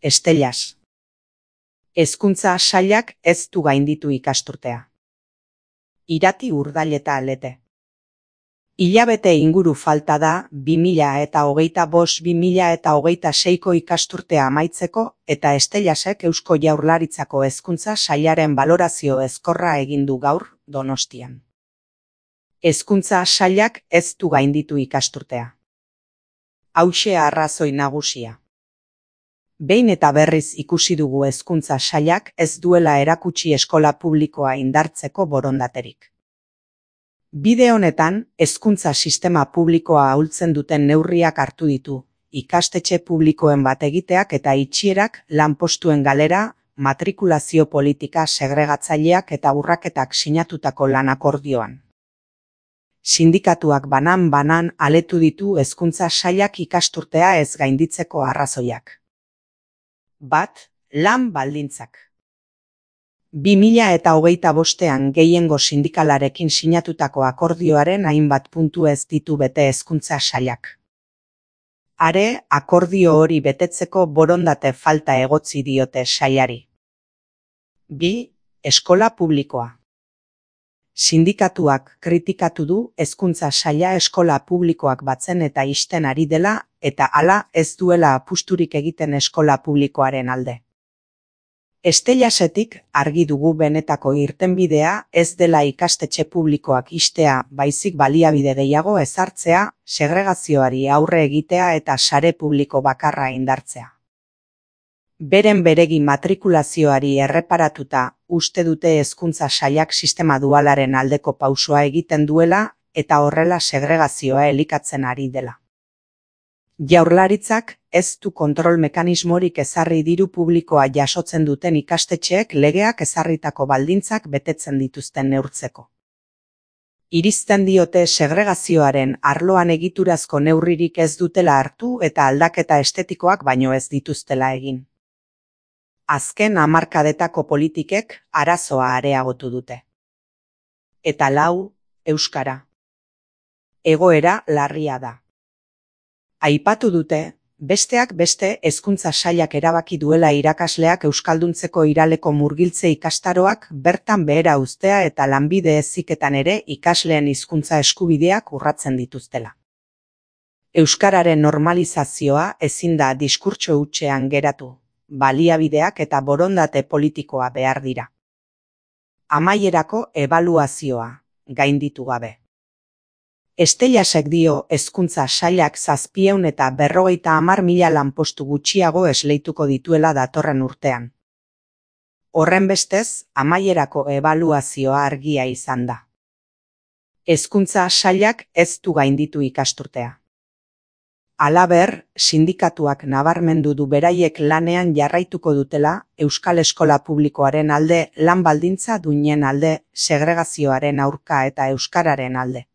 Estellas. Hezkuntza sailak ez du gainditu ikasturtea. Irati Urdaileta Alete. Hilabete inguru falta da 2025-2026ko ikasturtea amaitzeko eta Estellasek Eusko Jaurlaritzako Hezkuntza Sailaren balorazio ezkorra egin du gaur Donostian. Hezkuntza sailak ez du gainditu ikasturtea. Hauxe arrazoi nagusia. Behin eta berriz ikusi dugu hezkuntza sailak ez duela erakutsi eskola publikoa indartzeko borondaterik. Bide honetan, hezkuntza sistema publikoa ahultzen duten neurriak hartu ditu, ikastetxe publikoen bat egiteak eta itxierak, lanpostuen galera, matrikulazio politika segregatzaileak eta urraketak sinatutako lan akordioan. Sindikatuak banan-banan aletu ditu hezkuntza sailak ikasturtea ez gainditzeko arrazoiak. 1. Lan baldintzak. 2025ean gehiengo sindikalarekin sinatutako akordioaren hainbat puntu ez ditu bete hezkuntza sailak. Are, akordio hori betetzeko borondate falta egotzi diote sailari. 2. Eskola publikoa. Sindikatuak kritikatu du hezkuntza saila eskola publikoak batzen eta ixten ari dela eta hala ez duela apusturik egiten eskola publikoaren alde. Estellasetik argi dugu benetako irtenbidea ez dela ikastetxe publikoak ixtea, baizik baliabide gehiago ezartzea, segregazioari aurre egitea eta sare publiko bakarra indartzea. Beren beregi matrikulazioari erreparatuta uste dute hezkuntza sailak sistema dualaren aldeko pausoa egiten duela eta horrela segregazioa elikatzen ari dela. Jaurlaritzak ez du kontrol mekanismorik ezarri diru publikoa jasotzen duten ikastetxeek legeak ezarritako baldintzak betetzen dituzten neurtzeko. Irizten diote segregazioaren arloan egiturazko neurririk ez dutela hartu eta aldaketa estetikoak baino ez dituztela egin. Azken hamarkadetako politikek arazoa areagotu dute. Eta 4. Euskara. Egoera larria da. Aipatu dute, besteak beste hezkuntza sailak erabaki duela irakasleak euskalduntzeko iraleko murgiltze ikastaroak bertan behera uztea eta lanbide heziketan ere ikasleen hizkuntza eskubideak urratzen dituztela. Euskararen normalizazioa ezin da diskurtso hutsean geratu. Baliabideak eta borondate politikoa behar dira. Amaierako ebaluazioa, gainditu gabe. Estellasek dio hezkuntza sailak 750.000 lanpostu gutxiago esleituko dituela datorren urtean. Horrenbestez, amaierako ebaluazioa argia izan da. Hezkuntza sailak ez du gainditu ikasturtea. Halaber, sindikatuak nabarmendu du beraiek lanean jarraituko dutela euskal eskola publikoaren alde, lan baldintza duinen alde, segregazioaren aurka eta euskararen alde.